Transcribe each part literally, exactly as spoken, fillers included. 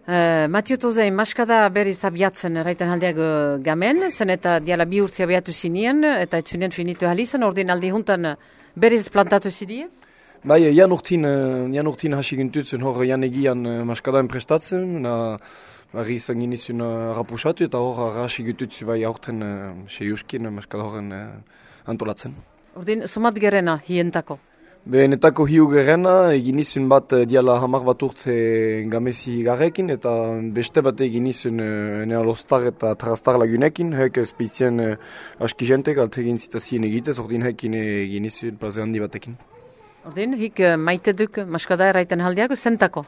Uh, Matio Tozein, maskada berriz abiatzen erraiten aldeak uh, gamen, zen eta diala bi urtzi abiatu zinien, eta etzunien finitu halizan, ordin aldi juntan berriz plantatu zidie? Bai, jan urtin, jan urtin hasi gintutzen hor jan egian uh, maskadaen prestatzen, na barri izan ginizun uh, rapusatu, eta hor hasi gintutzu bai aurten uh, seiuskin maskada horren uh, antolatzen. Ordin, somat gerena hientako? Benetako hiu gerena, egin izun bat diala hamar bat urtze gamezi garrekin, eta beste bat egin izun nea lostar eta trastar lagunekin, hek espizien aski jentek, alt egin zitazien egitez, ordin hekin egin izun plaze handi batekin. Ordin, hik maite duk maskada erraiten haldiago, zentako?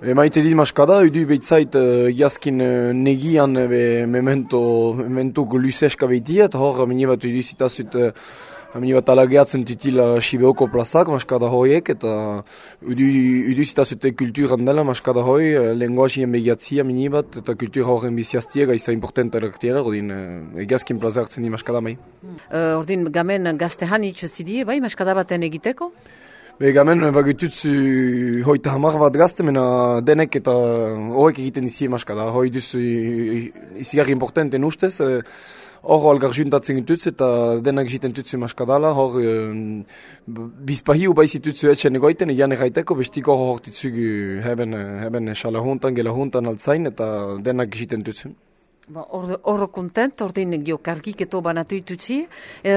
E, maite dit maskada, edu behitzait egiazkin negian be, memento, memento luzeska behitia, eta hor mini bat edu zitazut Hamini bat alageatzen tutila Sibeoko plazak, maskada hoiek, eta udu zitazute kulturan dela maskada hoi, lenguazien begiatzia mini bat, eta kultura horren biziaztia gaiza importanta eraktiera, ordin egiazkin plaza hartzen di maskada mai. Uh, ordin gamen gazte hanitz zidie, bai, maskada baten egiteko? Be gamen bagututzu hoita hamar bat gazte, mena denek eta hoek egiten izi maskada, hoi duzu izigarri importanten ustez, hor algar juntatzen gintutz eta denak egiten tutzu maskadala, hor um, bizpahiu baizitutzu etxen egoiten, egian erraiteko, bestiko hor hortitzugu heben, heben xala juntan, gela juntan altzain, eta denak egiten tutzu. Horro kontent, ordin gio kargiketo banatu itutzi,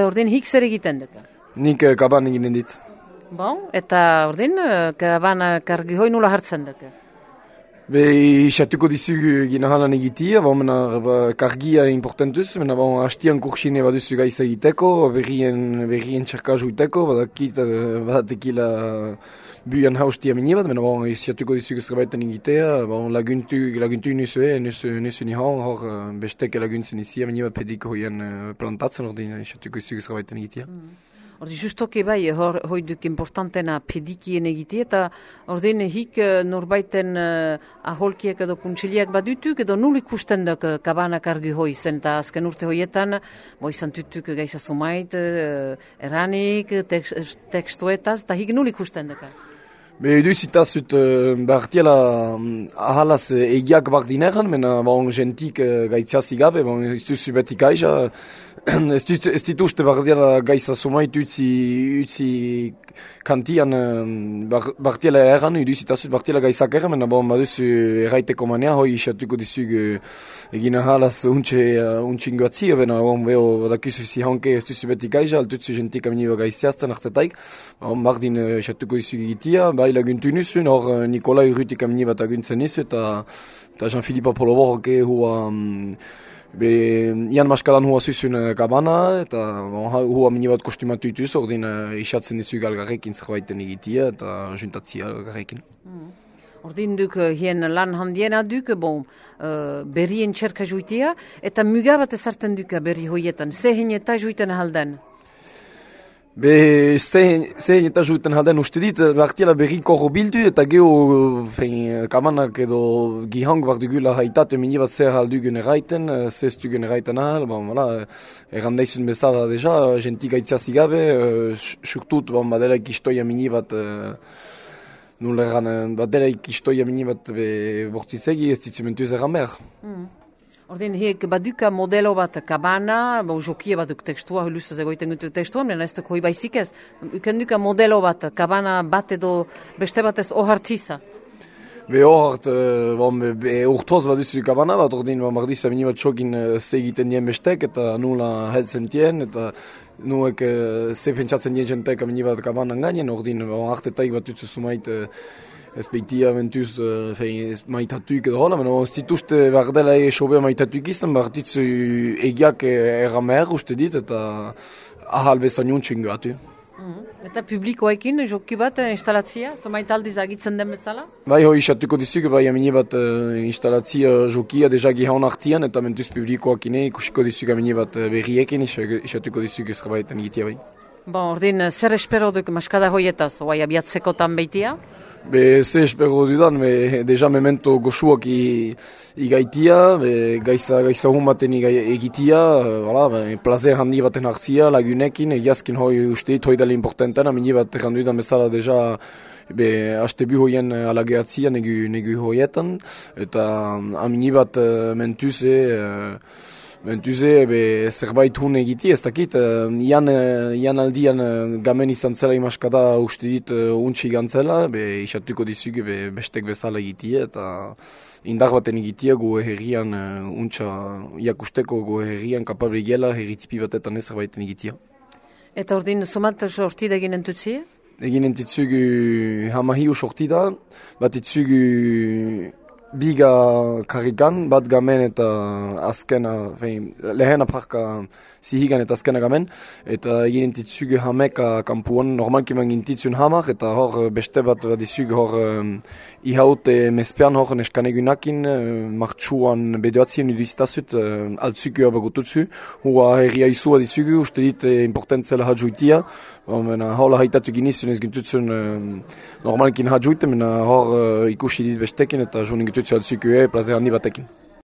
ordin hik zer egiten dut? Nik uh, kaban eginen dit. Bon, eta ordin, kabana kargi hoi nula hartzen dut? Be, xatuko dizugu gina halan egitia, bon, mena ba, kargia importantuz, mena bon, hastian kursine baduzu gaiza egiteko, berrien, berrien txarkazu iteko, badakit, badatekila buian haustia mini bat, mena bon, xatuko dizugu zerbaiten egitea, bon, laguntu, laguntu nuzue, nuzu, nuzu nihon, hor besteke laguntzen izia mini bat pediko hoien plantatzen, ordin xatuko dizugu zerbaiten egitea. Mm. Ordi justoki bai, hor, hoi duk importantena pedikien egite, eta ordin hik norbaiten uh, aholkiek edo kuntsiliak badutuk, edo nul ikusten duk uh, kabanak argi hoi zen, eta azken urte hoietan, bo izan tutuk gaiza sumait, uh, eranik, tekst, tekstuetaz, eta hik nul ikusten duk. Be, edu zitazut, uh, bartiela um, ahalaz uh, egiak bardineran, mena bon, gentik uh, gaitziazi gabe, bon, ez duzu beti gaisa, ez dituzte bardiela gaisa sumait utzi, utzi kantian um, bar, bartiela erran, edu zitazut bartiela gaizak erran, mena bon, baduzu erraiteko manea, hoi isatuko dizug uh, egin ahalaz untxe uh, untxingoatzia, bena bon, beho badakizu zi hanke ez duzu beti gaisa, altutzu gentik aminiba gaitziazten artetaik, bon, bardin uh, isatuko dizug egitia, bai laguntu nizuen, hor Nikolai Rutik amini bat aguntzen nizu, eta Jean-Philippe Apolloborok hua, um, be, ian maskadan hua zuzun kabana, eta hua amini bat kostumatu ituz, ordin uh, isatzen nizu galgarrekin zerbaiten egitia, eta juntatzia galgarrekin. Mm. Ordin duk hien lan handiena duk, bon, uh, berrien txerka juitia, eta muga bat ezarten duk berri hoietan, zehen eta juiten halden? Be, zehen eta juiten halden uste dit, bartiela berriko hor bildu, eta geho fein, kamanak edo gihang bat dugula haitatu mini bat zer haldugun erraiten, zeztugun erraiten ahal, bon, voilà, errandaizun bezala deja, gentik gaitziazi gabe, surtut, bon, badelaik istoia mini bat, nul erran, badelaik istoia mini bat bortzizegi, ez ditzumentuz erran behar. Mm. Ordin, hiek baduka modelo bat kabana, bo jokia batuk tekstua, huluzaz egoiten gutu tekstua, menen ez duk hoi baizik ez. Uken duka modelo bat, kabana bat edo beste batez ohartiza. Be ohart, bon, be urtoz baduzu kabana bat, ordin, bardiza mini bat txokin ze egiten dien bestek, eta nula helzen dien, eta nuek ze pentsatzen dien jentek mini bat kabanan gainen, ordin, hartetaik bat utzu sumait, ez behitia mentuz uh, maitatuik edo hola, mena ez dituzte bardela esobea maitatuik izan, barditzu egiak erramer uste dit, eta ahal bezan juntxin gatu. Mm-hmm. Eta publikoekin joki bat instalatzia, zomait aldiz agitzen den bezala? Bai, hoi isatuko dizuk, bai amini bat uh, instalatzia jokia deja gihaun artian, eta mentuz publikoakine ikusiko dizuk amini bat berriekin, isatuko dizuk ezrabaiten egitea bai. Bon, ordin, zer espero duk maskada hoietaz, oai abiatzekotan behitia? Be, ze espero dudan, be, deja memento goxuak igaitia, gaiza, gaiza hun baten egitia, voilà, be, plazer handi baten hartzia, lagunekin, egiazkin hoi uste dit, hoi dela importantena, mini bat errandu dudan bezala deja be haste bi hoien alageatzia negu, negu hoietan, eta amini bat uh, mentuze, uh, mentuze be zerbait hun egiti, ez dakit, uh, ian, uh, ian aldian uh, gamen izan zela imaskada uste dit uh, untsi gantzela, be isatuko dizuge be bestek bezala egitie, eta indar baten egitia goe herrian uh, untsa iakusteko goe herrian kapabli gela herritipi batetan ez zerbaiten egitia. Eta ordin somat sortida egin entutzi? Egin entitzugu hamahiu sortida, bat itzugu biga karrikan, bat gamen eta azkena, fein, lehena parka zihigan eta azkena gamen, eta egin entitzugu hameka kampuan, normalki man gintitzun hamak, eta hor beste bat bat izugu hor um, ihaute mespean hor neskanegunakin, uh, martxuan bedoatzien udizitazut, uh, altzugu abagututzu, hua herria izua dizugu, uste dit eh, importantzela hadjuitia, mena hola haitatu ginizun ez gintutzen uh, normalkin hadjuite, mena hor uh, ikusi dit bestekin, eta joan gintutzen altzugu e plazer handi batekin.